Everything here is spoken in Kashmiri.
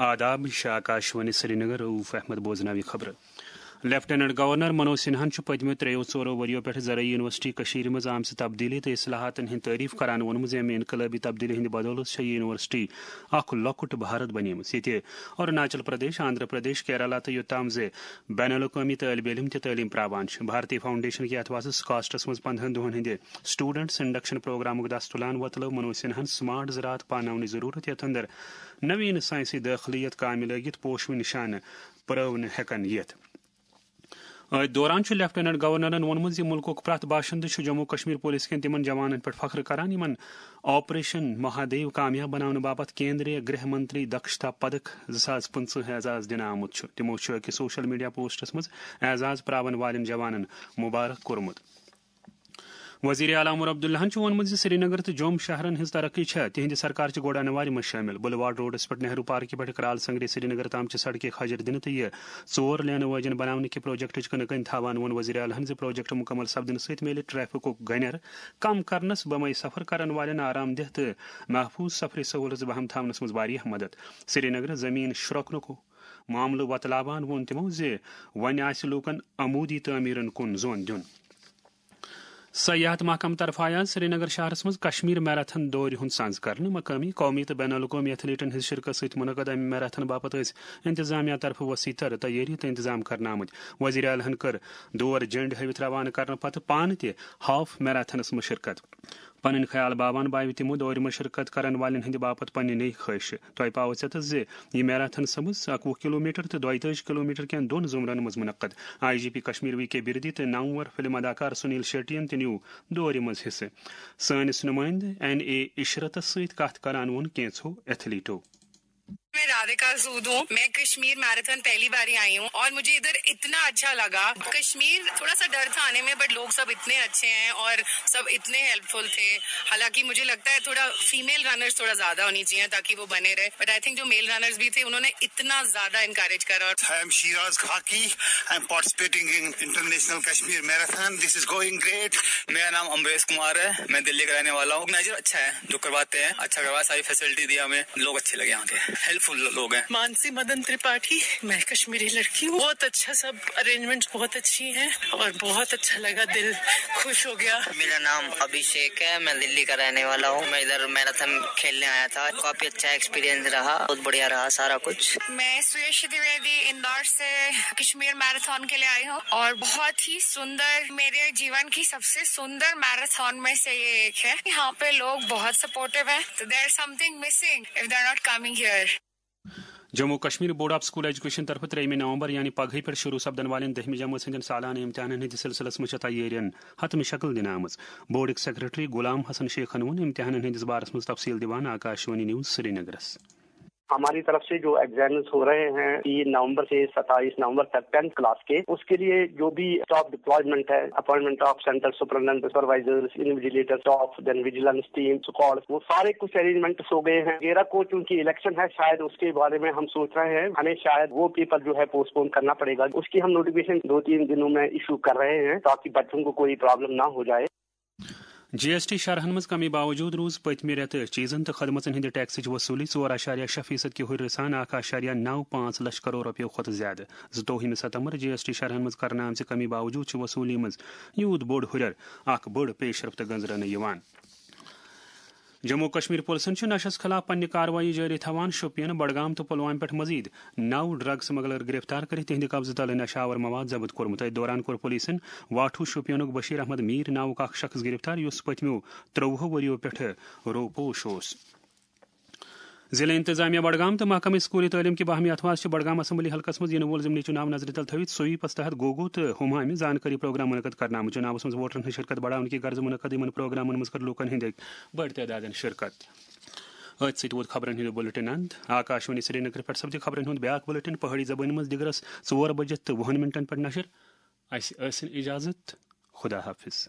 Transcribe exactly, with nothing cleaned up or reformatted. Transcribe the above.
آداب، یہِ چھِ آکاشوانی سرینگر، رؤف احمد بوزناوِ خبرٕ۔ لیفٹیننٹ گورنر منوج سنہاہن چھُ پٔتمیو ترٛیٚیو ژورو ؤرِیو پٮ۪ٹھ زرعی یونیورسٹی کٔشیٖرِ منٛز آمژِ تبدیٖلی تہٕ اصلاحاتن ہٕنٛدۍ تعریف کران ووٚنمُت زِ امہِ انقلٲبی تبدیٖلی ہٕنٛدِ بدولہٕ چھےٚ یہِ یونیورسٹی اکھ لۄکُٹ بھارت بنیمٕژ، ییٚتہِ اروناچل پردیش، آندھرا پردیش، کیرالہ تہٕ یوٚتام زِ بین الاقوٲمی طٲلبہِ علم تہِ تعلیٖم پراوان چھِ۔ بھارتی فاؤنڈیشن کہِ اتھواسہٕ سکاسٹس منٛز پندہن دۄہن ہٕنٛدِ اسٹوڈنٹس انڈکشن پروگرامُک دستُلان وۄتلٲو منوج سنہاہن سمارٹ زراعت پاناونٕچ ضرورت، یتھ اندر نوین سائنسی دٲخلہٕ یتھ کامہِ لٲگِتھ پوشوٕنۍ نشانہٕ پرٲونہٕ ہیکن یِتھ۔ أتھۍ دوران چھُ لیفٹیننٹ گورنرن ووٚنمُت زِ مُلکُک پرٛٮ۪تھ باشندٕ چھُ جموں کشمیر پولیس کٮ۪ن تِمن جوانن پٮ۪ٹھ فخر کران، یِمن آپریشن مہادیو کامیاب بناونہٕ باپتھ کیندریہ گرہ منتری دکشتا پدک زٕ ساس پٕنٛژٕہ اعزاز دِنہٕ آمُت چھُ۔ تِمو چھُ أکِس سوشل میڈیا پوسٹس منٛز اعزاز پراون والٮ۪ن جوانن مبارک کوٚرمُت۔ وزیر اعلیٰ عمر عبداللہن چھُ ووٚنمُت زِ سرینگر تہٕ جوٚم شہرن ہٕنٛز ترقی چھےٚ تِہنٛدِ سرکارچہِ گۄڈٕ انوارِ منٛز شٲمِل۔ بلواڑ روڈس پٮ۪ٹھ نہرو پارکہِ پٮ۪ٹھ کرال سنگری سرینگر تام چہِ سڑکہِ کھجر دِنہٕ تہٕ یہِ ژور لینہٕ وٲجن بناونہٕ کہِ پروجیکٹٕچ کٕنہٕ کٔنۍ تھاوان ووٚن وزیر اعلیٰ ہن زِ پروجیکٹ مکمل سپدنہٕ سۭتۍ میلہِ ٹریفکُک گنٮ۪ر کم کرنس، بمے سفر کرن والٮ۪ن آرام دہ تہٕ محفوظ سفری سہولژ بہم تھاونس منٛز واریاہ مدد۔ سرینگر زمین شرۄکنُک معاملہٕ وۄتلاوان ووٚن تِمو زِ وۄنۍ آسہِ لوٗکن عمودی تعمیرن کُن زون دیُن۔ سیاحت محکمہٕ طرفہٕ آیہِ آز سرینگر شہرس منٛز کشمیر میراتھن دورِ ہُنٛد سنز کرنہٕ۔ مقٲمی، قومی تہٕ بین الاقوٲمی ایتھلیٹن ہٕنٛز شرکت سۭتۍ منعقد امہِ میراتھن باپتھ ٲسۍ انتظامیہ طرفہٕ وسیع تر تیٲری تہٕ انتظام کرنہٕ آمٕتۍ۔ وزیر اعلیٰ ہن کٔر دور جنڈ ہٲوِتھ روانہٕ کرنہٕ پتہٕ پانہٕ تہِ ہاف میراتھنس منٛز شرکت۔ پنٕنۍ خیال باوان باوِ تِمو دورِ منٛز شرکت کرن والٮ۪ن ہٕنٛدِ باپتھ پننہِ نٔے خٲہشہِ۔ تۄہہِ پاوٕ ژٮ۪تس زِ یہِ میراتھن سپٕز اکوُہ کلومیٹر تہٕ دۄیہِ تٲجی کلومیٹر کٮ۪ن دۄن زمرن منٛز منعقد۔ I G P Kashmir V K Birdi تہٕ نامور فلم اداکار سنیل شیٹین تہِ نیوٗ دورِ منٛز حصہٕ۔ سٲنِس نُمٲیندٕ این اے عشرتس سۭتۍ کتھ کران ووٚن کینٛژھو ایتھلیٹو۔ मैं राधिका सूद हूँ। मैं कश्मीर मैराथन पहली बार ही आई हूँ और मुझे इधर इतना अच्छा लगा। कश्मीर थोड़ा सा डर था आने में, बट लोग सब इतने अच्छे हैं और सब इतने हेल्पफुल थे। हालांकि मुझे लगता है थोड़ा फीमेल रनर्स थोड़ा ज्यादा होनी चाहिए ताकि वो बने रहे, बट आई थिंक जो मेल रनर्स भी थे उन्होंने इतना ज्यादा इनकरेज करा। और I am Shiraz Khaki. I am participating in International Kashmir Marathon. This is going great. मेरा नाम अमरेश कुमार है, मैं दिल्ली का रहने वाला हूँ। मैनेजर अच्छा है, जो करवाते हैं अच्छा करवाया, सारी फैसिलिटी दी हमें, लोग अच्छे लगे यहाँ के, हेल्पफुल लोग हैं। मानसी मदन त्रिपाठी, मैं कश्मीरी लड़की हूँ। बहुत अच्छा, सब अरेंजमेंट्स बहुत अच्छी हैं और बहुत अच्छा लगा, दिल खुश हो गया। मेरा नाम अभिषेक है, मैं दिल्ली का रहने वाला हूँ। मैं इधर मैराथन खेलने आया था, काफी अच्छा एक्सपीरियंस रहा, बहुत बढ़िया रहा सारा कुछ। मैं सुयश द्विवेदी इंदौर से कश्मीर मैराथन के लिए आई हूँ और बहुत ही सुंदर, मेरे जीवन की सबसे सुंदर मैराथन में से ये एक है। यहाँ पे लोग बहुत सपोर्टिव हैं, तो there is something missing if they are not coming here. Jammu Kashmir board of school education طرفہٕ ترٛیٚیِمہِ نومبر یعنی پگہٕے پٮ۪ٹھ شروع سپدن والٮ۪ن دٔہمہِ جمٲژ ہٕنٛدٮ۪ن سالانہٕ امتحانن ہٕنٛدِس سلسلس منٛز چھےٚ تیٲرین حتمی شکل دِنہٕ آمٕژ۔ بورڈٕکۍ سیکرٹری غلام حسن شیخن ووٚن امتحانن ہٕنٛدِس بارس منٛز تفصیل دِوان آکاشوانی نیوز سرینگرس۔ ہماری طرف سے جو ایگزامز ہو رہے ہیں تین نومبر سے ستائیس نومبر تک ٹینتھ کلاس کے، اس کے لیے جو بھی اسٹاف ڈپلائمنٹ ہے، appointment of centre superintendent, supervisors, invigilator, staff, دین ویجیلنس ٹیم، اسکواڈ، وہ سارے کچھ ارینجمنٹس ہو گئے ہیں۔ تیرہ کو چونکہ الیکشن ہے، شاید اس کے بارے میں ہم سوچ رہے ہیں، ہمیں شاید وہ پیپر جو ہے پوسٹ پون کرنا پڑے گا۔ اس کی ہم نوٹیفکیشن دو تین دنوں میں ایشو کر رہے ہیں تاکہ بچوں کو کوئی پرابلم نہ ہو جائے۔ جی ایس ٹی شرحن منٛز کمی باوجود روٗز پٔتمہِ رٮ۪تہٕ چیٖزن تہٕ خدمژن ہٕنٛدِ ٹیکسٕچ وصوٗلی ژور اَشاریہ شےٚ فیصد کہِ ہُرِ سان اکھ اَشاریہ نَو پانٛژھ لچھ کرور رۄپیو کھۄتہٕ زیادٕ۔ زٕتووُہمہِ ستمبر جی ایس ٹی شرحن منٛز کرنہٕ آمژِ کمی باوجود چھِ وصوٗلی منٛز یوٗت بوٚڑ ہُرٮ۪ر اکھ بٔڑ پیشرفت گٔنٛزراونہٕ یِوان۔ جموں و کشمیر پُلسن چھِ نشس خلاف پننہِ کاروٲیی جٲری تھاوان۔ شوپین، بڈگام تہٕ پلوامہِ پٮ۪ٹھ مزید نو ڈرگ سمگلر گرفتار کٔرِتھ تِہنٛدِ قبضہٕ تل نشہٕ آور مواد ضبط کوٚرمُت۔ أتھۍ دوران کوٚر پُلیٖسن واٹھو شوپینُک بشیر احمد میر ناوُک اکھ شخص گرفتار، یُس پٔتمیو ترٛۆوُہو ؤرِیو پٮ۪ٹھٕ روپوش اوس۔ ضلع انتظامیہ بڈگام تہٕ محکمہٕ اسکولی تعلیٖم کہِ باہمی اتھوار چھِ بڈگام اسمبلی حلقس منٛز یِنہٕ وول ضمنی چُناو نظرِ تل تھٲوِتھ سویپس تحت گوگو تہٕ ہُمامہِ زانکٲری پروگرام منعقد کرنہٕ آمُت۔ چُناوس منٛز ووٹرن ہٕنٛز شرکت بڑاونہٕ کہِ غرضہٕ منعقد یِمن پروگرامن منٛز کٔر لوٗکن ہٕنٛدۍ بٔڑۍ تعدادن شرکت۔ أتھۍ سۭتۍ ووت خبرن ہُنٛد بُلٹن اند۔ آکاشوانی سرینگر پٮ۪ٹھ سپدِ خبرن ہُنٛد بیٛاکھ بُلٹن پہٲڑی زبٲنۍ منٛز دِگرس ژور بجہِ تہٕ وُہن منٹن پٮ۪ٹھ نشر۔ اسہِ ٲسِن اجازت۔ خدا حافظ۔